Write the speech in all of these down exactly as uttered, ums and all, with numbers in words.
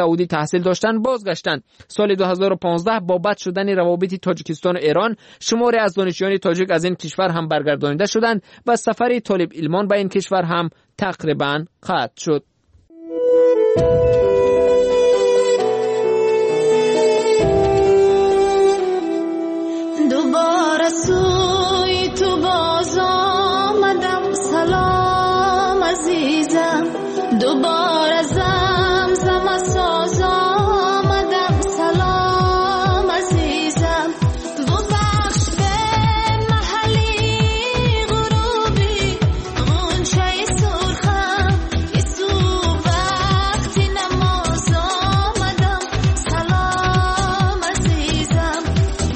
Саудӣ таҳсил доштанд бозгаштанд. Соли ду ҳазору понздаҳ бо бад шудани равобити Тоҷикистон ва Эрон шумори аз донишҷӯёни тоҷик аз ин кишвар ҳам баргардонида шуданд ва сафари толиб илмон ба ин кишвар ҳам тақрибан қатъ шуд. دوباره سوی تو باز آمدم سلام عزیزم، دوباره زمزمه ساز آمدم سلام عزیزم، ببخش به محلی غروبی غنچه سرخم یسو وقتی نماز آمدم سلام عزیزم،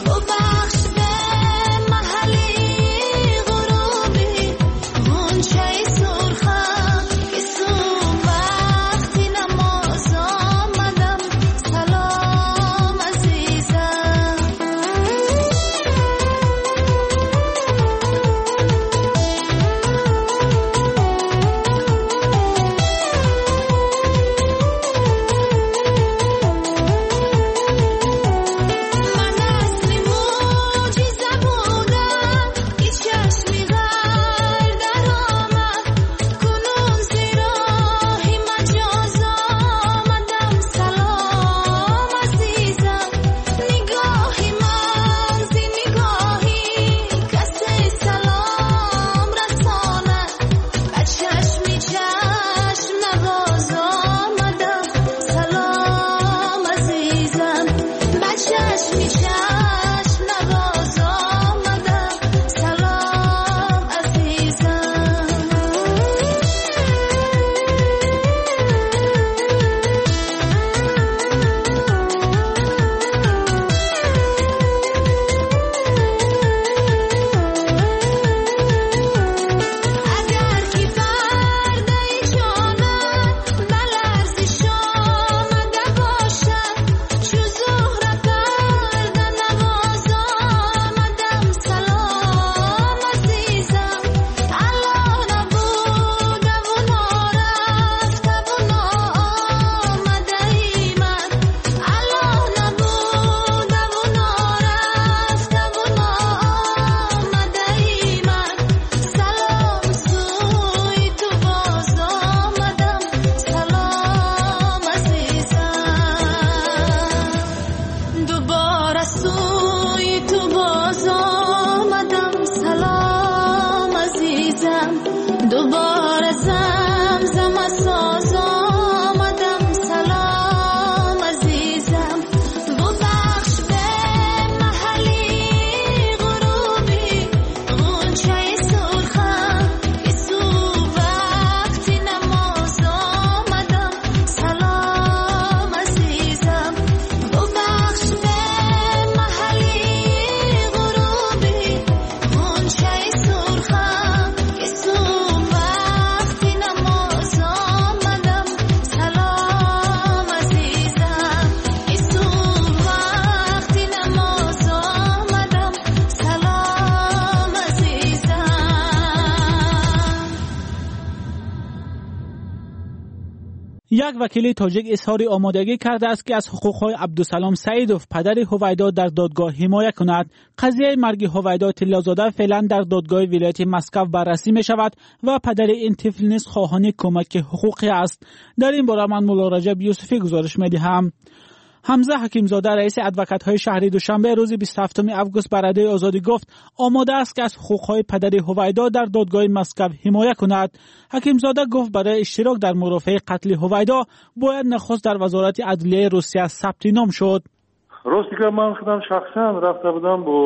ببخش به محلی غروبی غنچه سرخم یسو وقتی نماز آمدم سلام عزیزم. من اصل معجزه بودم که چشمی غر در آمد، کنون ز راه مجاز آمدم سلام عزیزم، نگاه من ز نگاهی کسی سلام رساند، به چشمی چشم نواز آمدم سلام عزیزم، به چشمی چشم نواز آمدم سلام عزیزم. اگر که پرده جانت به لرزش آمده باشد، چو زهره پرده نواز آمدم سلام عزیزم، الا نبوده و نارفته و ناآمده ای من، الا نبوده و نارفته و ناآمده ای من، سلام سوی تو باز آمدم سلام عزیزم، دوباره سوی تو باز آمدم سلام عزیزم، دوباره زمزمه ساز آمدم سلام عزیزم، ببخش به محلی غروبی غنچه سرخم یسو وقتی نماز آمدم سلام عزیزم، ببخش به محلی غروبی غنچه سرخم یسو وقتی نماز آمدم سلام عزیزم، یسو وقتی نماز آمدم سلام عزیزم. یک وکیل تاجیک اظهار آمادگی کرده است که از حقوقهای عبدالسلام سعیدوف پدر هویدا در دادگاه حمایت کند. قضیه مرگ هویدا طلازاده فعلا در دادگاه ولایت مسکو بررسی می شود و پدر این طفل نیز خواهان کمک حقوقی است. در این باره من مولا رجب یوسفی گزارش می دهم. حمزه حکیمزاده رئیس ادوکت‌های شهری دوشنبه روز بیست و هفتم آگوست به رادیوی آزادی گفت آماده است که از حقوقهای پدر هویدا در دادگاه مسکو حمایت کند. حکیمزاده گفت برای اشتراک در مرافعه قتل هویدا باید نخست در وزارت عدلیه روسیه ثبت نام شد. Рости гап, ман худам шахсан рафта будам бо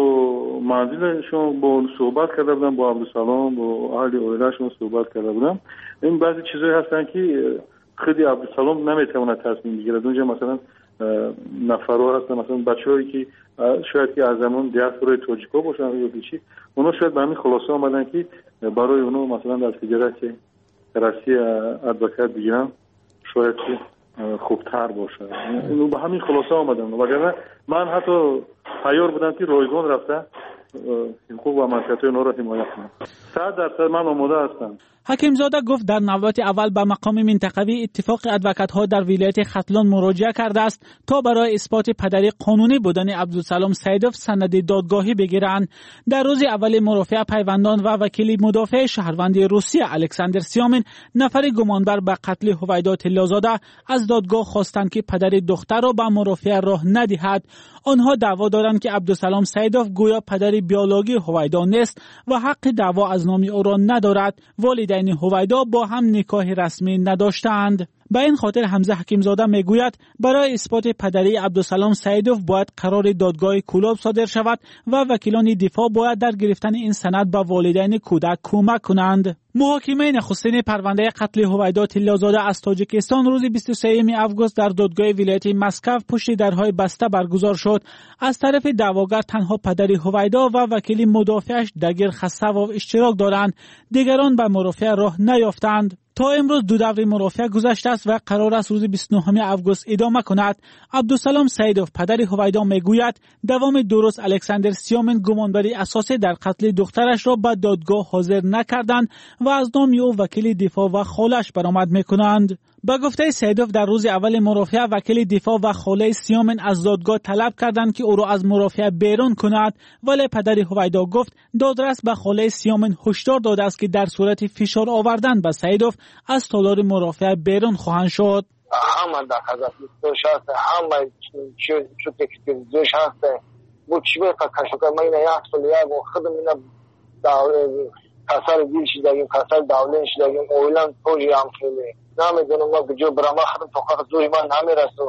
манзилашон, бо суҳбат карда будам бо Абдусалом, бо аҳли оилаашон суҳбат карда будам. Ин баъзе чизҳое ҳастанд ки худи Абдусалом наметавонад тасмим бигирад. Унҷа масалан нафарҳо ҳастанд, масалан бачаҳое ки шояд ки аз замон диаспораи тоҷикҳо бошанд ё ки чӣ, онҳо шояд ба ҳамин хулоса омаданд ки барои онҳо масалан дар Федератсияи Россия адвокат бигиранд, шояд ки хубтар бошад. Ба ҳамин хулоса омаданд. Вагарна ман ҳатто тайёр будам ки ройгон рафта ҳуқуқ ва манфиатҳои онҳоро ҳимоя кунам. Сад дарсад ман омода ҳастам. Ҳакимзода гуфт дар навбати аввал ба мақоми минтақавии иттифоқи адвокатҳо дар вилояти Хатлон муроҷиа кардааст то барои исботи падари қонунӣ будани Абдусалом Саидов санади додгоҳӣ бигиранд. Дар рӯзи аввали мурофиа пайвандон ва вакили мудофеи шаҳрванди Русия Александр Сиёмин, нафари гумонбар ба қатли Ҳувайдо Тиллозода, аз додгоҳ хостанд ки падари духтарро ба мурофиа роҳ надиҳад. Онҳо даъво доранд ки Абдусалом Саидов гӯё падари биологии Ҳувайдо нест ва ҳаққи даъво аз номи ӯро надорад. Волидайни Ҳувайдо бо ҳам никоҳи расмӣ надоштаанд. Ба ин хотир Ҳамза Ҳакимзода мегӯяд барои исботи падарии Абдусалом Саидов бояд қарори додгоҳи Кӯлоб содир шавад ва вакилони дифоъ бояд дар гирифтани ин санад ба волидайни кӯдак кӯмак кунанд. Муҳокимаи нахустини парвандаи қатли Ҳувайдо Тиллозода аз Тоҷикистон рӯзи бисту сеюми август дар додгоҳи вилояти Москва пушти дарҳои баста баргузор шуд. Аз тарафи даъвогар танҳо падари Ҳувайдо ва вакили мудофиаш Дагир Хасавов иштирок доранд. Дигарон ба мурофиа роҳ наёфтанд. То имрӯз ду даври мурофиа гузаштааст ва қарор аст рӯзи бисту нӯҳуми август идома кунад. Абдусалом Саидов, падари Ҳувайдо, мегӯяд давоми ду рӯз Александр Сиёмин гумонбари асосӣ дар қатли духтарашро ба додгоҳ ҳозир накарданд ва аз номи ӯ вакили дифоъ ва холааш баромад мекунанд. Ба гуфтаи Саидов дар рӯзи аввали мурофиа вакили дифоъ ва холаи Сиёмин аз додгоҳ талаб карданд ки ӯро аз мурофиа берун кунад, вале падари Ҳувайдо гуфт додрас ба холаи Сиёмин ҳушдор додааст ки дар сурати фишор овардан ба Саидов аз толори мурофиа берун хоҳанд шуд. Ҳама доказательствош ҳаст, ҳама чуте экспертизош ҳаст. Бо чӣ беқа кашока ма ина як сол як худам ина касали дил шидагим, касали давлен шидагим, оилам тоже ҳам хеле. Намедонам ма куҷо барам, ма худам тоқат зӯри ман намерасад,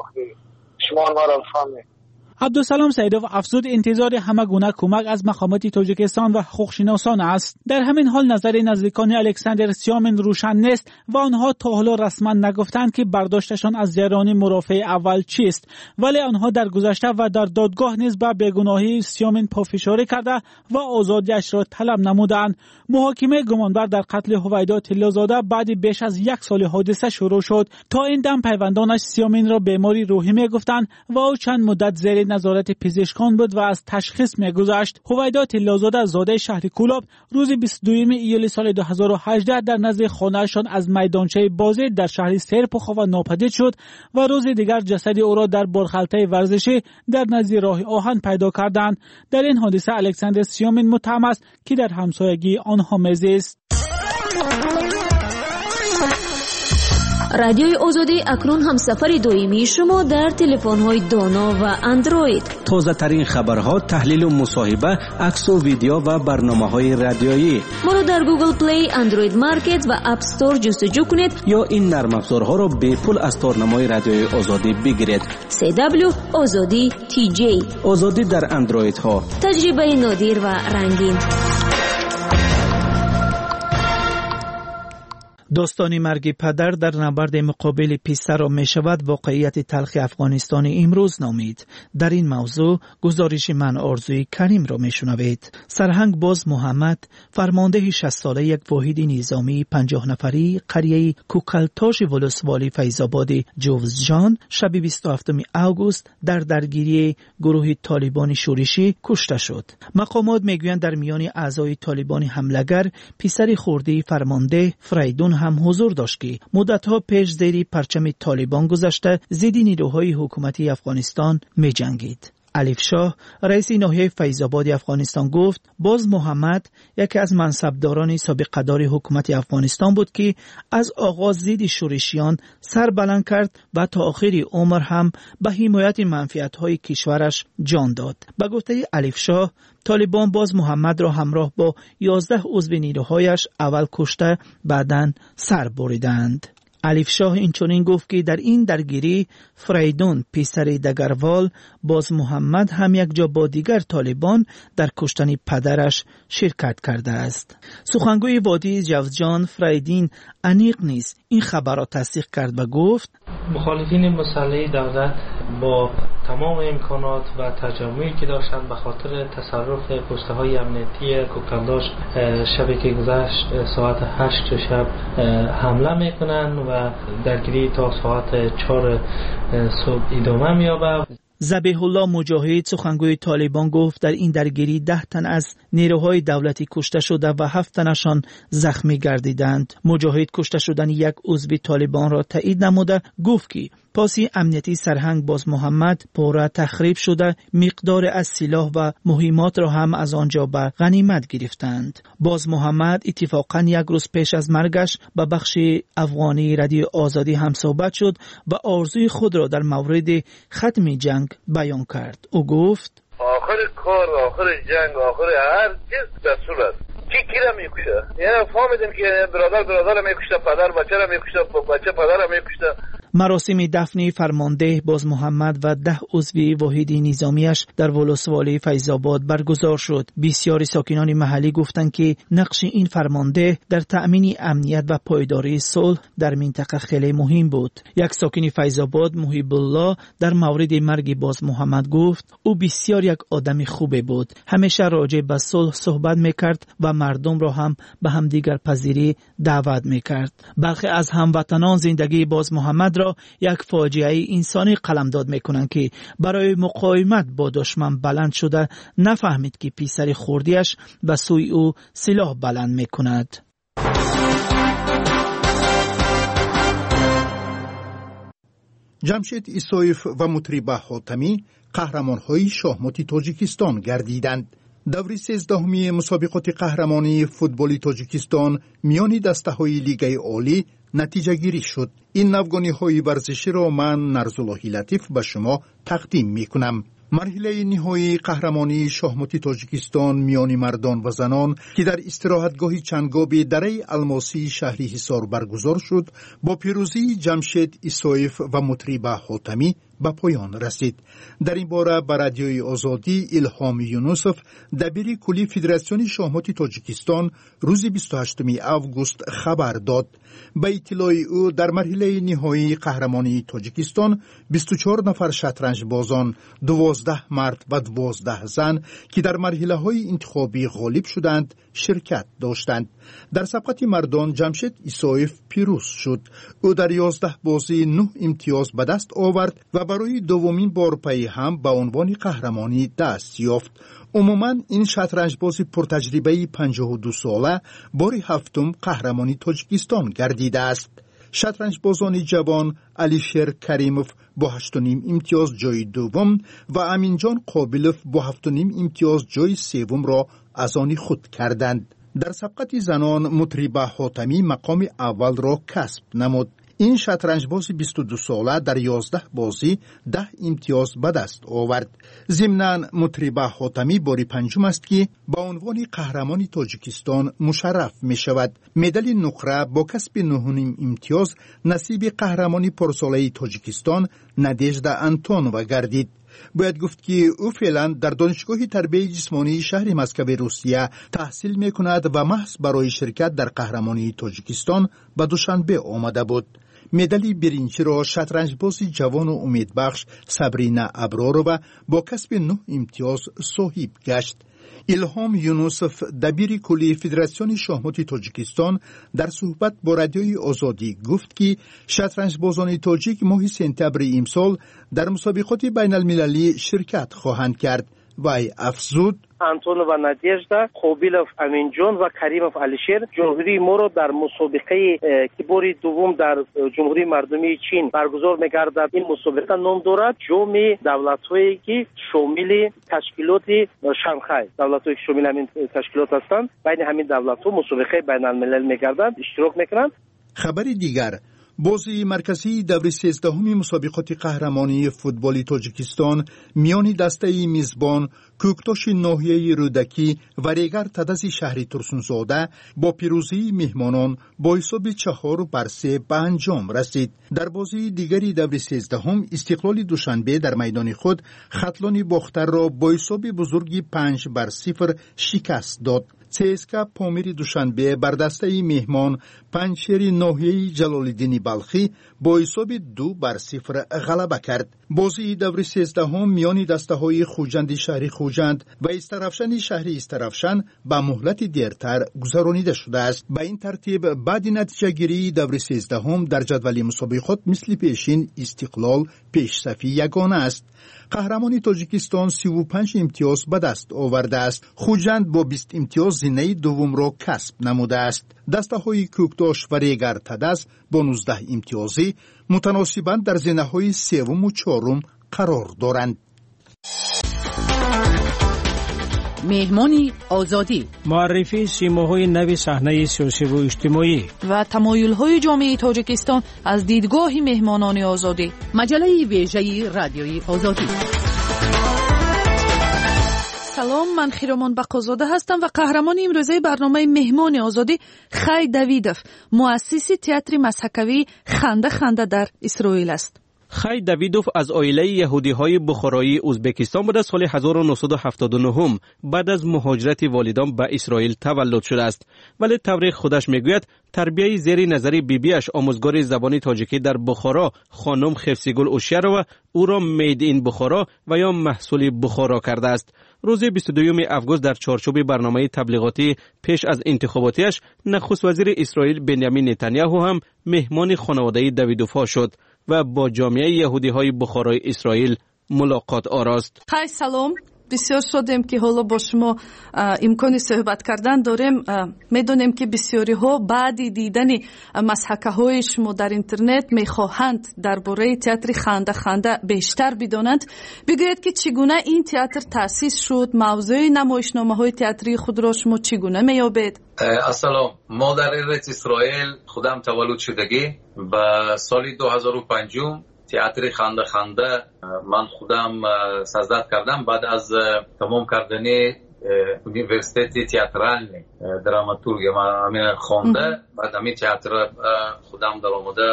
шумо маро фаҳмед. Абдусалом Саидов афзуд интизори ҳама гуна кӯмак аз мақомоти Тоҷикистон ва ҳуқуқшиносон аст. Дар ҳамин ҳол назари наздикони Александр Сиёмин рӯшан нест ва онҳо то ҳоло расман нагуфтанд ки бардошташон аз ҷараёни мурофиаи аввал чист, вале онҳо дар гузашта ва дар додгоҳ низ ба бегуноҳии Сиёмин пофишорӣ карда ва озодиашро талаб намуданд. Муҳокимаи гумонбар дар қатли Ҳувайдо Тиллозода баъди беш аз як соли ҳодиса шурӯъ шуд. То ин дам пайвандонаш Сиёминро бемори рӯҳӣ мегуфтанд ва ӯ чанд муддат зери назорати пизишкон буд ва аз ташхис мегузашт. Ҳувайдо Тиллозода зодаи шаҳри Кӯлоб рӯзи бисту дуюми июли соли ду ҳазору ҳаждаҳ дар назди хонаашон аз майдончаи бозӣ дар шаҳри Серпухова нопадид шуд ва рӯзи дигар ҷасади ӯро дар борхалтаи варзишӣ дар назди роҳи оҳан пайдо карданд. Дар ин ҳодиса Александр Сиёмин муттаҳам аст ки дар ҳамсоягии онҳо мезист. Радиои Озодӣ акнун ҳамсафари доимии шумо дар телефонҳои доно ва Андроид. Тозатарин хабарҳо, таҳлилу мусоҳиба, аксу видео ва барномаҳои радиоӣ. Моро дар Google Play, Android Market ва App Store ҷустуҷӯ кунед ё ин нармафзорҳоро бепул аз торнамои Радиои Озодӣ бигиред. си дабл ю Озодӣ ти ҷей. Озодӣ дар Андроидҳо. Таҷрибаи нодир ва рангин. Достони марги падар дар набарди муқобили писарро мешавад воқеияти талхи Афғонистони имрӯз номид. Дар ин мавзӯъ гузориши ман Орзуи Каримро мешунавед. Сарҳанг Боз Муҳаммад, фармондеҳи шастсолаи як воҳиди низомии панҷоҳнафарии қарияи Кӯкалтоши волусволи Файзободи Ҷувзҷон шаби бисту ҳафтуми август дар даргирии гурӯҳи толибони шӯришӣ кушта шуд. Мақомот мегӯянд дар миёни аъзои толибони ҳамлагар писари хурдии фармондеҳ Фрайдун ҳам ҳузур дошт ки муддатҳо пеш зери парчами толибон гузашта зидди нирӯҳои ҳукумати Афғонистон меҷангид. Алифшоҳ, раиси ноҳияи Файзободи Афғонистон гуфт Боз Муҳаммад яке аз мансабдорони собиқадори ҳукумати Афғонистон буд ки аз оғоз зидди шӯришиён сар баланд кард ва то охири умр ҳам ба ҳимояти манфиатҳои кишвараш ҷон дод. Ба гуфтаи Алифшоҳ, толибон Боз Муҳаммадро ҳамроҳ бо ёздаҳ узви нирӯҳояш аввал кушта, баъдан сар буриданд. Алифшоҳ инчунин гуфт ки дар ин даргирӣ Фрайдун, писари Дагарвол, Боз Муҳаммад ҳам якҷо бо дигар толибон дар куштани падараш ширкат кардааст. Сухангӯи водии Ҷавзҷон Фрайдин аниқ низ ин хабарро тасдиқ кард ва гуфт мухолифини مسلح давлат бо тамоми имконот ва таҷаммуе ки доштанд ба хотири тасарруф пустаҳои амниятии Кӯкалдош шабе ки гузашт соат ҳашт шаб ҳамла мекунанд ва даргирӣ то соат чор субҳ идома меёбад. Забиҳулло Муҷоҳид, сухангӯи Толибон, гуфт дар ин даргирӣ даҳ тан аз нерӯҳои давлатӣ кушта шуда ва ҳафт танашон захмӣ гардиданд. Муҷоҳид кушта шудани як узви Толибонро таъид намуда гуфт ки поси амниятии сарҳанг Бозмуҳаммад пурра тахриб шуда, миқдоре аз силоҳ ва муҳиммотро ҳам аз он ҷо ба ғанимат гирифтанд. Бозмуҳаммад иттифоқан як рӯз пеш аз маргаш ба бахши афғонии Радиои Озодӣ ҳамсӯҳбат шуд ва орзуи худро дар мавриди хатми ҷанг баён кард. Ӯ гуфт: آخر کار، آخر جنگ، آخر هر چیز دستور است. کی کی را میکشه؟ یعنی فهمیدیم که برادر برادر را میکشه، پدر بچه را میکشه، بچه پدر را میکشه. маросими дафни фармондеҳ Бозмуҳаммад ва даҳ узви воҳиди низомиаш дар волусволии Файзобод баргузор шуд. Бисёри сокинони маҳаллӣ гуфтанд ки нақши ин фармондеҳ дар таъмини амният ва пойдории сулҳ дар минтақа хеле муҳим буд. Як сокини Файзобод Муҳибулло дар мавриди марги Бозмуҳаммад гуфт: ӯ бисёр як одами хубе буд, ҳамеша роҷеъ ба сулҳ суҳбат мекард ва мардумро ҳам ба ҳамдигарпазирӣ даъват мекард. Бархе аз ҳамватанон зиндагии Бозмуҳаммадро як фоҷиаи инсонӣ қаламдод мекунанд ки барои муқовимат бо душман баланд шуда нафаҳмид ки писари хурдиаш ба сӯи ӯ силоҳ баланд мекунад. Ҷамшед Исоев ва Мутриба Ҳотамӣ қаҳрамонҳои шоҳмоти Тоҷикистон гардиданд. Даври сездаҳуми мусобиқоти қаҳрамонии футболи Тоҷикистон миёни дастаҳои Лигаи Олӣ натиҷагирӣ шуд. Ин навгониҳои варзиширо ман, Нарзуллоҳи Латиф, ба шумо тақдим мекунам. Марҳилаи ниҳоии қаҳрамонии шоҳмоти Тоҷикистон миёни мардон ва занон, ки дар истироҳатгоҳи Чангоби дараи Алмосии шаҳри Ҳисор баргузор шуд, бо пирӯзии Ҷамшед Исоев ва Мутриба Ҳотамӣ ба поён расид. Дар ин бора ба Радиои Озодӣ Илҳом Юнусов, дабири кулли Федератсиони шоҳмоти Тоҷикистон, рӯзи бисту ҳаштуми август хабар дод. Ба иттилои ӯ, дар марҳилаи ниҳоии қаҳрамонии Тоҷикистон бисту чор нафар шатранҷбозон, дувоздаҳ мард ва дувоздаҳ зан, ки дар марҳилаҳои интихобӣ ғолиб шуданд, ширкат доштанд. Дар сабқати мардон Ҷамшед Исоев пирӯз шуд. Ӯ дар ёздаҳ бозӣ нӯҳ имтиёз ба даст овард ва барои дуввумин бор пайи ҳам ба унвони қаҳрамонӣ даст ёфт. Умуман ин шатранҷбози пуртаҷрибаи панҷоҳу ду сола бори ҳафтум қаҳрамони Тоҷикистон гардидааст. Шатранҷбозони ҷавон Алишер Каримов бо ҳашту ним имтиёз ҷои дуввум ва Аминҷон Қобилов бо ҳафту ним имтиёз ҷои севумро аз они худ карданд. Дар сабқати занон Мутриба Ҳотамӣ мақоми аввалро касб намуд. Ин шатранҷбози бисту ду сола дар ёздаҳ бозӣ даҳ имтиёз ба даст овард. Зимнан Мутриба Ҳотамӣ бори панҷум аст ки ба унвони қаҳрамони Тоҷикистон мушарраф мешавад. Медали нуқра бо касби нӯҳуним имтиёз насиби қаҳрамони порсолаи Тоҷикистон Надежда Антонова гардид. Бояд гуфт ки ӯ феълан дар Донишгоҳи тарбияи ҷисмонии шаҳри Москави Русия таҳсил мекунад ва маҳз барои ширкат дар қаҳрамонии Тоҷикистон ба Душанбе омада буд. Медали биринҷиро шатранҷбози ҷавону умедбахш Сабрина Абророва бо касби нӯҳ имтиёз соҳиб гашт. Илҳом Юнусов, дабири кулли Федератсиони шоҳмоти Тоҷикистон, дар суҳбат бо Радиои Озодӣ гуфт ки шатранҷбозони тоҷик моҳи сентябри имсол дар мусобиқоти байналмилалӣ ширкат хоҳанд кард. Вай афзуд: Антонова Надежда, Қобилов Аминҷон ва Каримов Алишер ҷумҳурии моро дар мусобиқае ки бори дуввум дар Ҷумҳурии Мардумии Чин баргузор мегардад, ин мусобиқа ном дорад Ҷоми давлатҳое ки шомили ташкилоти Шанхай, давлатҳое ки шомили ҳамин ташкилот ҳастанд, байни ҳамин давлатҳо мусобиқаи байналмилалӣ мегардад, иштирок мекунанд. Хабари дигар: бозии марказии даври сездаҳуми мусобиқоти қаҳрамонии футболи Тоҷикистон миёни дастаи мизбон Кӯктоши ноҳияи Рӯдакӣ ва Регар Тадази шаҳри Турсунзода бо пирӯзии меҳмонон бо ҳисоби чаҳору бар се ба анҷом расид. Дар бозии дигари даври сездаҳум Истиқлоли Душанбе дар майдони худ Хатлони Бохтарро бо ҳисоби бузурги панҷ бар сифр шикаст дод. ЦСКА Помири Душанбе бар дастаи меҳмон Панҷшери ноҳияи Ҷалолиддини Балхӣ бо ҳисоби ду бар сифр ғалаба кард. Бозии даври сездаҳум миёни дастаҳои Хуҷанди шаҳри Хуҷанд ва Истаравшани шаҳри Истаравшан ба муҳлати дертар гузаронида шудааст. Ба ин тартиб баъди натиҷагирии даври сездаҳум дар ҷадвали мусобиқот мисли пешин Истиқлол пешсафи ягона аст. Қаҳрамони Тоҷикистон сиву панҷ имтиёз ба даст овардааст. Хуҷанд бо бист имтиёз зинаи дуввумро касб намудааст. Дастаҳои Кӯкдош ва Регар Тадаз бо нуздаҳ имтиёзӣ мутаносибан дар зинаҳои севуму чорум қарор доранд. Меҳмони Озодӣ, муаррифии симоҳои нави саҳнаи сиёсиву иҷтимоӣ ва тамоюлҳои ҷомеаи Тоҷикистон аз дидгоҳи меҳмонони Озодӣ. Маҷаллаи вежаи Радиои Озодӣ. Салом, ман Хиромон Бақозода ҳастам ва қаҳрамони имрӯзаи барномаи Меҳмони Озодӣ Хай Давидов, муассиси театри мазҳакавии Ханда Ханда дар Исроил аст. Хай Давидов аз оилаи яҳудиҳои бухороии Ӯзбекистон буда, соли ҳазору нӯҳсаду ҳафтоду нӯҳум баъд аз муҳоҷирати волидон ба Исроил таваллуд шудааст. Вале тавре худаш мегӯяд, тарбияи зери назари бибиаш, омӯзгори забони тоҷикӣ дар Бухоро, хонум Хефсигул Ушярова, ӯро made in Бухоро ва ё маҳсули Бухоро кардааст. Рӯзи бисту дуюми август дар чорчӯби барномаи таблиғотӣ пеш аз интихоботиаш нахуст вазири Исроил Бенямин Нетаняҳу ҳам меҳмони хонаводаи Давидовҳо шуд ва бо ҷомеаи яҳудиҳои Бухорои Исроил мулоқот орост. Хай, салом. Бисёр шодем, ки ҳоло бо шумо имкони суҳбат кардан дорем. Медонем, ки бисёриҳо баъди дидани мазҳакаҳои шумо дар интернет мехоҳанд дар бораи театри Ханда Ханда бештар бидонанд. Бигӯед, ки чӣ гуна ин театр таъсис шуд, мавзӯи намоишномаҳои театрии худро шумо чӣ гуна меёбед? Ассалом. Мо дар Эрец Исроил худам таваллуд шудагӣ. Ба соли ду ҳазору панҷум театри Ханда Ханда ман худам создат кардам баъд аз тамом кардани университети театрални драматургия. Ман ҳамин хонда, баъд ҳамин театр худам даромада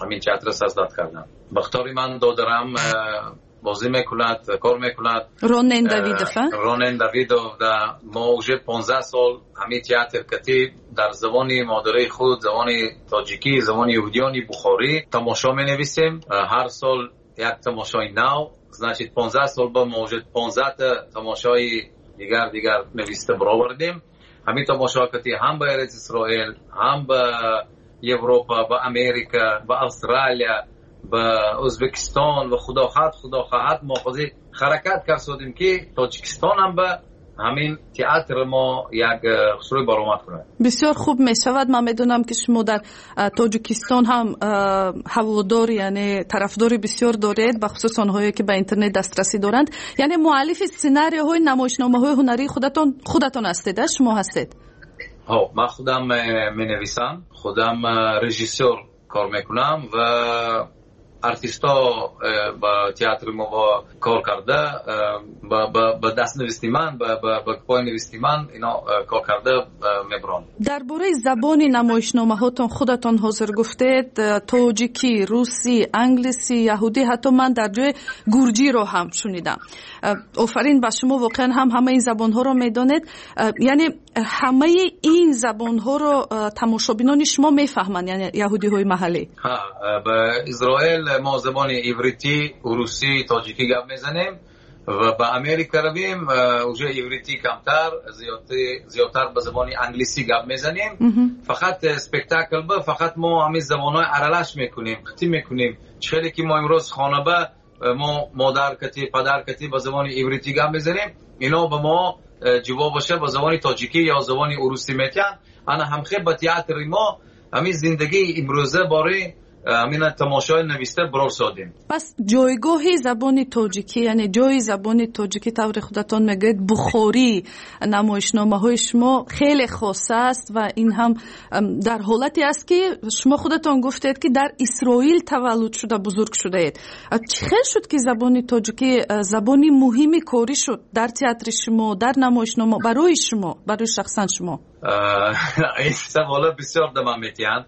ҳамин театр создат кардам. Бахтори ман додарам бозӣ мекунад, кор мекунад. Ронен Давидов, а? Ронен Давидов, да. Мо уже понздаҳ сол ҳамин театр кати дар забони модарии худ, забони тоҷикӣ, забони яҳудиёни бухорӣ тамошо менависем. Ҳар сол як тамошои нав. Значит, понздаҳ сол ба мо уже понздаҳта тамошои дигар дигар нависта баровардем. Ҳамин тамошо кати ҳам ба Эрец Исроил, ҳам ба Европа, ба Америка, ба Австралия, ба Ӯзбекистон ва худо хоҳад, худо хоҳад мо ҳозир ҳаракат кардем, ки Тоҷикистон ҳам ба ҳамин театр мо як хусрӯй баромад кунад. Бисёр хуб мешавад. Ман медонам, ки шумо дар Тоҷикистон ҳам ҳаводор, яъне тарафдори бисёр доред, бахусус онҳое ки ба интернет дастрасӣ доранд. Яъне муаллифи сценарияҳои намоишномаҳои ҳунарии худатон худатон ҳастед, шумо ҳастед? Ҳо, ман худам менависам, худам режиссёр кор мекунам ва артистҳо ба театри мо кор карда, ба дастнависти ман, ба пойнависти ман ино кор карда мебаранд. Дар бораи забони намоишномаҳотон худатон ҳозир гуфтед: тоҷикӣ, русӣ, англисӣ, яҳудӣ, ҳатто ман дар ҷои гурҷиро ҳам шунидам. Офарин ба шумо, воқеан ҳам ҳамаи ин забонҳоро медонед. Яъне ҳамаи ин забонҳоро тамошобинони шумо мефаҳманд, яъне яҳудиҳои маҳаллӣ? Ҳа, ба Израил мо забони ивритӣ, русӣ, тоҷикӣ гап мезанем ва ба Америка равем, уже ивритӣ камтар, зиёдтар ба забони англисӣ гап мезанем. Фақат спектакл ба фақат мо ҳамин забонҳои аралаш мекунем, қитӣ мекунем. Хеле ки мо имрӯз хона ба мо модар кати, падар кати ба забони ивритӣ гап мезанем, ино ба мо ҷавобаша ба забони тоҷикӣ ё забони урусӣ метиҳанд. Ана ҳамхел ба театри мо ҳамин зиндагии имрӯза бораи ҳамин тамошои нависта барор содем. Пас ҷойгоҳи забони тоҷикӣ, яъне ҷои забони тоҷикӣ, тавре худатон мегӯед, бухорӣ намоишномаҳои шумо хеле хоса аст ва ин ҳам дар ҳолате аст, ки шумо худатон гуфтед, ки дар Исроил таваллуд шуда бузург шудаед. Чӣ хел шуд, ки забони тоҷикӣ забони муҳими корӣ шуд дар театри шумо, дар намоишнома, барои шумо, барои шахсан шумо? Ин савола бисёр да ман метиҳанд.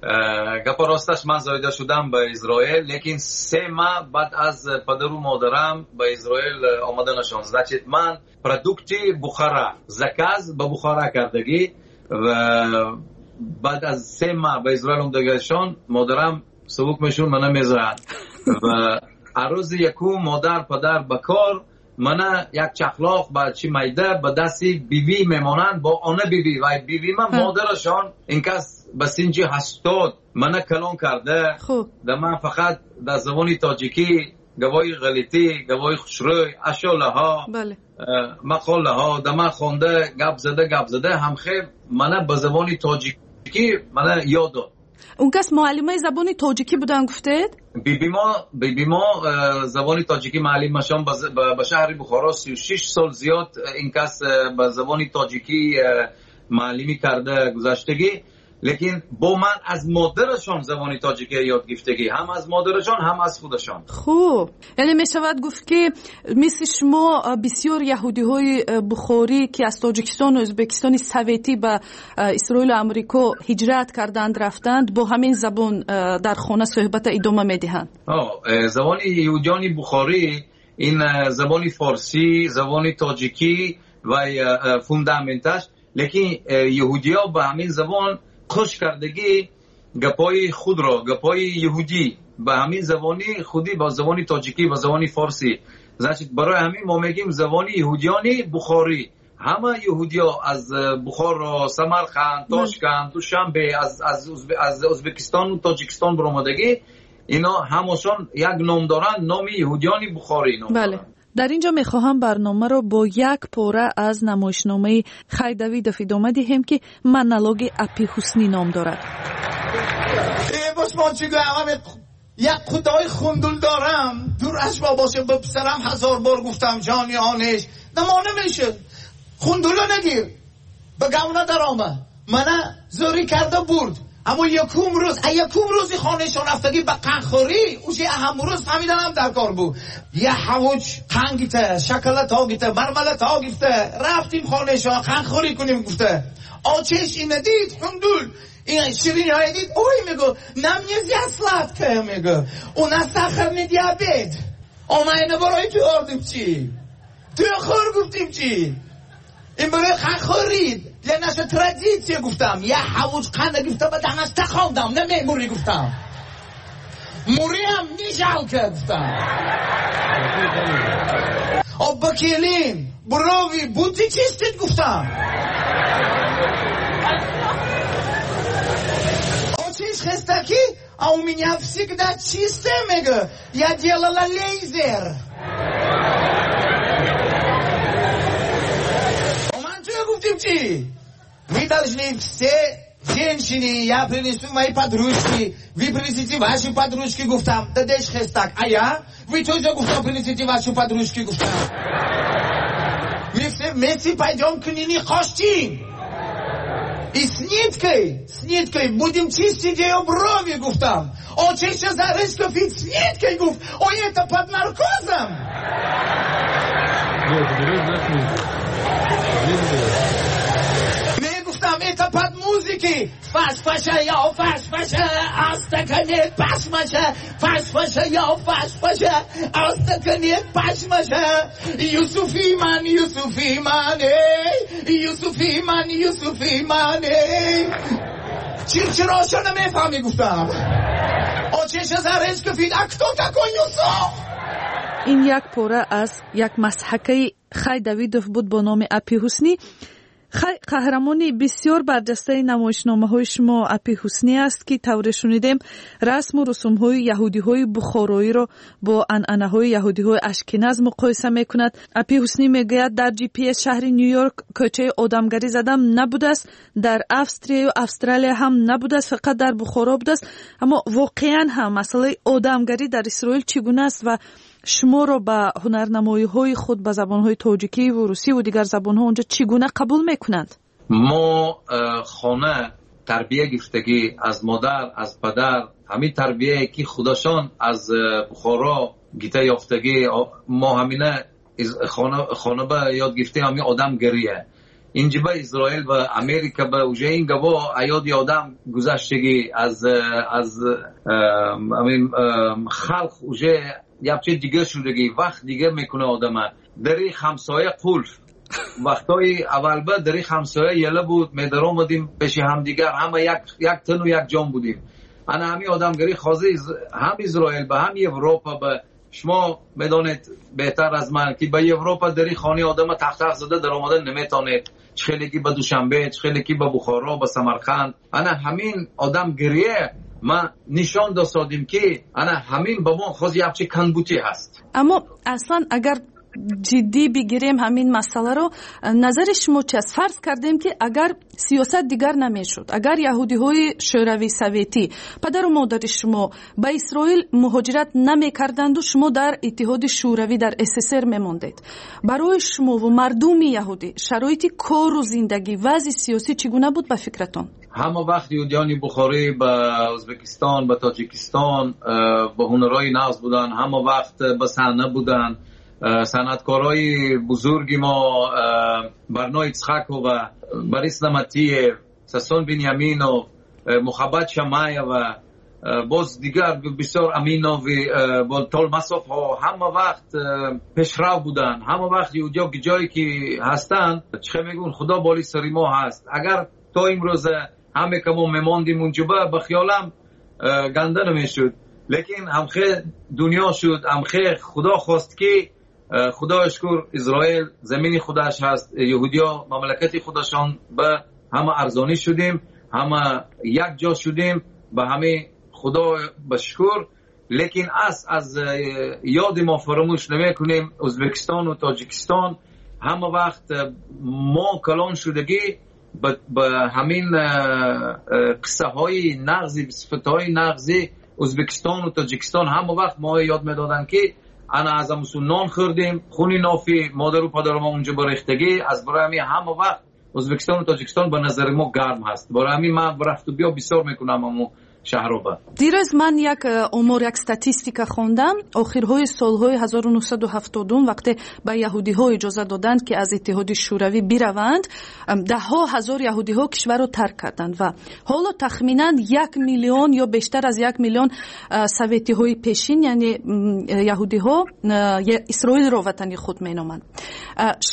Гапа росташ, ман зоида шудам ба Израил, лекин се маҳ баъд аз падару модарам ба Израил омаданашон. Значит, ман продукти Бухара, заказ ба Бухара кардагӣ ва баъд аз се маҳ ба Израил омадагашон модарам сабук мешуд, мана мезад. Ва арӯзи якум модар падар ба кор, мана як чахлоқ ба чи майда ба дасти бибӣ мемонанд, бо она бибӣ ва бибӣ ман модарашон ин кас ба синҷи ҳаштод мана калон карда. Да ман фақат дар забони тоҷикӣ гавои ғалитӣ, гавои хушрӯй, ашолаҳо, мақолаҳо да ман хонда, гап зада, гап зада ҳамхел мана ба забони тоҷикӣ мана ёд дод. Он кас муаллимаи забони тоҷикӣ буданд, гуфтед? Биби мо, биби мо забони тоҷикӣ муаллимашон ба шаҳри Бухоро сию шиш сол зиёд ин кас ба забони тоҷикӣ муаллимӣ карда гузаштагӣ, лекин бо ман аз модарашон забони тоҷикӣ ёд гирифтагӣ, ҳам аз модарашон, ҳам аз худашон. Хуб, яъне мешавад гуфт, ки мисли шумо бисёр яҳудиҳои бухорӣ, ки аз Тоҷикистон ва Ӯзбекистони советӣ ба Исроилу Амрико ҳиҷрат карданд, рафтанд, бо ҳамин забон дар хона суҳбата идома медиҳанд. Забони яҳудиёни бухорӣ ин забони форсӣ, забони тоҷикӣ ва фундаменташ, лекин яҳудиё ба ҳамин забон хуш кардагӣ гапҳои худро, гапҳои яҳудӣ ба ҳамин забони худӣ, ба забони тоҷикӣ, ба забони форсӣ. Значит, барои ҳамин мо мегӯем забони яҳудиёни бухорӣ. Ҳама яҳудиё аз Бухоро, Самарқанд, Тошканд, Душанбе, аз аз аз Ӯзбекистон, Тоҷикистон баромадагӣ, ино ҳамашон як ном доранд, номи яҳудиёни бухорӣ ном доранд. Дар ин ҷо мехоҳам барномаро бо як пора аз намоишномаи Хай Давидов идома диҳем, ки монологи Апи Ҳуснӣ ном дорад. Босмон чӣ гӯям, як худои хундул дорам, дур аз бо боше, ба писарам ҳазор бор гуфтам, ҷони онеш намо намешуд, хундуло нагир, ба гавна дарома, мана зӯрӣ карда бурд. Аммо якум рӯз, а якум рӯзи хонашон рафтагӣ ба қанхӯрӣ, уже ҳамон рӯз фаҳмиданам дар кор буд. Я ҳавуч қанд гифта, шоколад гифта, мармелад гифта, рафтим хонашон қанхӯрӣ кунем гуфта. Очеш ина дид, хундул, ин ширинӣ дид, ой мегӯ, нам нельзя сладкое, мегӯ, у нас сахарный диабет. О, ма ина барои ту ордим чӣ? Ту хӯр гуфтим чӣ? Ин барои қанхӯрӣ, для наша традиция гуфтам. Я ҳавуч қанда гуфта, ба даҳнаш тахондам, намемурӣ гуфтам. Муриам не жалко гуфтам. О, ба келин, брови будете чистить гуфтам. Очиш хестаки, а у меня всегда чистое, мегӯ. Я делала лейзер. Гуфтим чӣ? Вы должны все женщины, я принесу мои подружки, вы принесите ваши подружки, гуфтам. Дадеш хестак, а я? Вы тоже, гуфтам, принесите ваши подружки, гуфтам. Мы все вместе пойдем к Нине Хоштин. И с ниткой, с ниткой будем чистить ее брови, гуфтам. Очеша зарышка фит с ниткой, гуфт. Ой, это под наркозом. Мегуфтам, это под музыки. Фаш, фаша, я, фаш, фаша, астакане, пашмаша, фаш, фаша, я, фаш, фаша, астакане, пашмаша. Юсуфи ман, Юсуфи ман, эй, Юсуфи ман, Юсуфи ман, эй. Чирчироша намефаҳми, гуфтам. Очеша заречка фит, а кто такой Юсуф? Ин як пора аз як масҳакаи Хай Давидов буд бо номи Апи Ҳуснӣ. Хай, қаҳрамони бисёр барҷастаи намоишномаҳои шумо Апи Ҳуснӣ аст, ки тавре шунидем расму русумҳои яҳудиҳои бухороиро бо анъанаҳои яҳудиҳои ашкеназ муқоиса мекунад. Апи Ҳуснӣ мегӯяд, дар ҷи пи эс шаҳри Нью-Йорк кӯчаи одамгарӣ задам набудааст, дар Австрияю Австралия ҳам набудааст, фақат дар Бухоро будааст. Аммо воқеан ҳам масъалаи одамгарӣ дар Исроил чӣ гуна аст ва шуморо ба ҳунарнамоиҳои худ ба забонҳои тоҷикӣ ва русӣ ва дигар забонҳо онҷо чӣ гуна қабул мекунанд? Мо хона тарбия гирифтагӣ аз модар, аз падар, ҳамин тарбияе ки худашон аз Бухоро гита ёфтагӣ, мо ҳамина хона хона ба ёд гирифтем, ҳамин одамгария. инҷа ба Исроил ва Америка ба уже ин гапо аёди одам гузаштагӣ аз аз ҳамин халқ уже якче дигар шудагӣ, вақт дигар мекунад одама. Дари ҳамсоя қулф. Вақтҳои аввал ба дари ҳамсоя яла буд, медаромадем пеши ҳамдигар, ҳама як як тану як ҷон будем. Ана ҳамин одамгарӣ ҳозир ҳам Исроил ба ҳам Европа ба шумо медонед беҳтар аз ман ки ба Европа дари хонаи одама тақ-тақ зада даромадан наметавонед. Чӣ хеле ки ба Душанбе, чӣ хеле ки ба Бухоро, ба Самарқанд. Ана ҳамин одамгирие ма нишон досодем ки ана ҳамин ба мо ҳозир якчи камбудӣ ҳаст. Аммо аслан агар ҷиддӣ бигирем ҳамин масъаларо, назари шумо чи аст? Фарз кардем ки агар сиёсат дигар намешуд, агар яҳудиҳои шӯравӣ советӣ, падару модари шумо ба Исроил муҳоҷират намекарданду шумо дар Иттиҳоди Шӯравӣ, дар СССР мемондед, барои шумову мардуми яҳудӣ шароити кору зиндагӣ, вазъи сиёсӣ чӣ гуна буд ба фикратон? Ҳама вақт яҳудиёни Бухорӣ ба Ӯзбекистон, ба Тоҷикистон ба ҳунарҳои нағз буданд, ҳама вақт ба саҳна буданд. Санъаткорои бузурги мо Барно Ицхакова, Борис Наматиев, Сасон Биньяминов, Мухаббат Шамаева, боз дигар бисёр Аминови, Толмасовҳо ҳама вақт пешрав буданд. Ҳама вақт яҳудиё ҷое ки ҳастанд, чӣ мегӯн, Худо боли сари мо ҳаст. Агар то имрӯз ҳаме ка мо мемондим унҷоба, ба хиёлам ганда намешуд. Лекин ҳамхе дунё шуд, ҳамхе Худо хост ки Худои шукр Исроил замини худаш ҳаст, яҳудиё мамлакати худашон, ба ҳама арзонӣ шудем, ҳама як ҷо шудем, ба ҳама Худо ба шукр. Лекин аз аз ёди мо фаромӯш намекунем Ӯзбекистон ва Тоҷикистон ҳама вақт мо калон шудагӣ ба ҳамин қиссаҳои нағзи, сифатҳои нағзи Ӯзбекистон ва Тоҷикистон ҳама вақт мо ёд медоданд ки ана аз амсу нон хӯрдем, хуни нофи модару падари мо унҷо барехтагӣ. Аз барои ҳамин ҳама вақт Ӯзбекистон ва Тоҷикистон ба назари мо гарм ҳаст. Барои ҳамин ман рафту биё бисёр мекунам ҳамун шаҳроба. Дирӯз ман як омор, як статистика хондам. Охирҳои солҳои ҳазору нӯҳсаду ҳафтодум вақте ба яҳудиҳо иҷоза доданд ки аз Иттиҳоди Шӯравӣ бираванд, даҳҳо ҳазор яҳудиҳо кишварро тарк карданд ва ҳоло тахминан як миллион ё бештар аз як миллион советиҳои пешин, яъне яҳудиҳо, Исроилро ватани худ меноманд.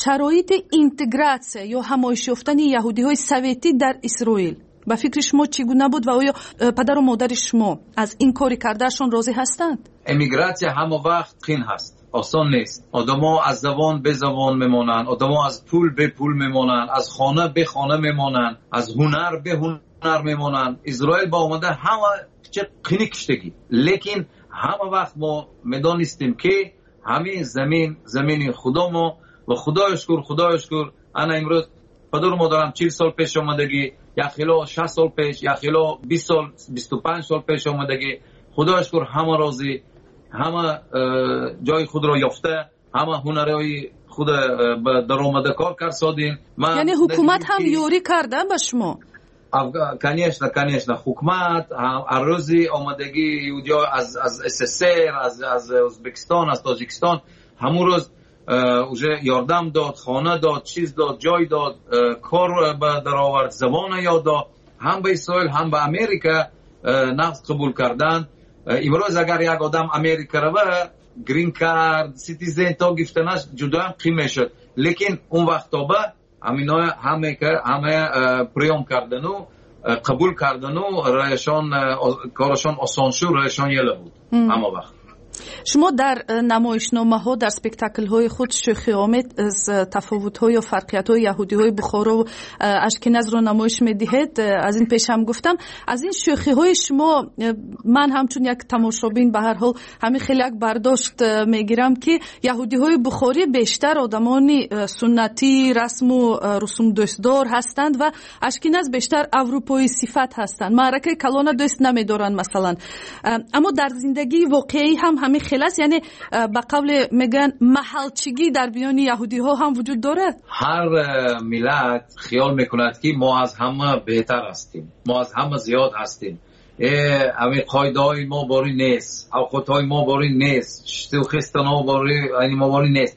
Шароити интегратсия ё ҳамоиш ёфтани яҳудиҳои советӣ дар Исроил ба фикри шумо чӣ гуна буд ва оё падару модари шумо аз ин кори кардаашон розӣ ҳастанд? Эмигратсия ҳама вақт қин ҳаст, осон нест. Одамо аз забон бе забон мемонанд, одамо аз пул бе пул мемонанд, аз хона бе хона мемонанд, аз ҳунар бе ҳунар мемонанд. Исроил ба омада ҳама чӣ қини киштагӣ, лекин ҳама вақт мо медонистем ки ҳамин замин замини Худо мо ва Худои шукр, Худои шукр ана имрӯз падару модарам чил сол пеш омадагӣ, як хело шаст сол пеш, як хело бист сол, бисту панҷ сол пеш омадагӣ. Худои шукр ҳама розӣ, ҳама ҷои худро ёфта, ҳама ҳунарҳои худ ба даромада кор кард содем. Яъне ҳукумат ҳам ёрӣ карда ба шумо? Конечно, конечно, ҳукумат ҳар рӯзи омадагӣ яҳудиё аз аз СССР, аз аз Ӯзбекистон, аз Тоҷикистон ҳамун рӯз уже ёрдам дод, хона дод, чиз дод, ҷой дод, кор ба даровард, забон ёд дод. Ҳам ба Исроил, ҳам ба Америка нағз қабул карданд. Имрӯз агар як одам Америка рава, грин кард, ситизен то гирифтанаш ҷудоям қим мешуд. Лекин он вақтоба ҳамино ҳама ҳама приём кардану қабул кардану раешон корашон осон шуд, раешон яла буд ҳама вақт. Шумо дар намоишномаҳо, дар спектаклҳои худ шӯхиомез тафовутҳо ё фарқиятҳои яҳудиҳои Бухоро ва Ашкеназро намоиш медиҳед. Аз ин пеш ҳам гуфтам, аз ин шӯхиҳои шумо ман ҳамчун як тамошобин ба ҳар ҳол ҳамин хеле як бардошт мегирам ки яҳудиҳои бухорӣ бештар одамони суннатӣ, расму русумдӯстдор ҳастанд ва Ашкеназ бештар аврупоӣ сифат ҳастанд, маъракаи калона дӯст намедоранд масалан. Аммо дар зиндагии воқеӣ ҳам ҳамин хел аст, яъне ба қавле мегӯянд маҳалчигӣ дар миёни яҳудиҳо ҳам вуҷуд дорад. Ҳар миллат хиёл мекунад ки мо аз ҳама беҳтар ҳастем, мо аз ҳама зиёд ҳастем, ҳамин қоидаҳои мо борӣ нест, ҳуқуқҳои мо борӣ нест, хистанҳо борӣ мо борӣ нест.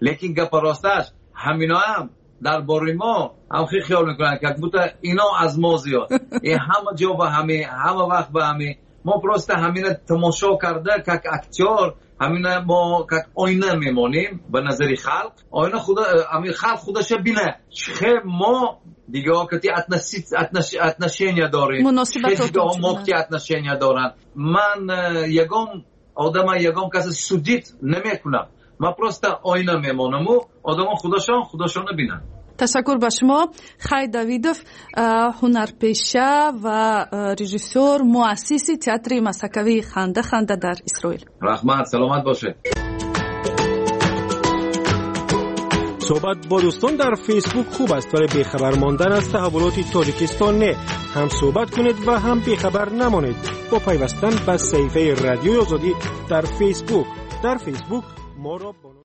Лекин гапи росташ ҳамино ҳам дар бораи мо ҳам хеле хиёл мекунанд, как будто ино аз мо зиёд. Ин ҳама ҷо ба ҳаме, ҳама вақт ба ҳаме. Мо просто ҳамина тамошо карда, как актёр, ҳамина мо как оина мемонем ба назари халқ. Оина худа, ҳамин халқ худаша бина. Чӣ мо дигаҳо кати отношения дорем. Муносибатот дигаҳо мо кати отношения доранд. Ман ягон одама, ягон каса судить намекунам. Ман просто оина мемонаму одамо худашон худашонро бинанд. Ташаккур ба шумо. Хай Давидов, ҳунарпеша ва режиссёр, муассиси театри масакавии Ханда Ханда дар Исроил. Раҳмат, саломат бошед. Суҳбат бо дӯстон дар Фейсбук хуб аст, вале бехабар мондан аз таҳаввулоти Тоҷикистон не. Ҳам суҳбат кунед ва ҳам бехабар намонед бо пайвастан ба саҳифаи Радиои Озодӣ дар Фейсбук. Дар Фейсбук моро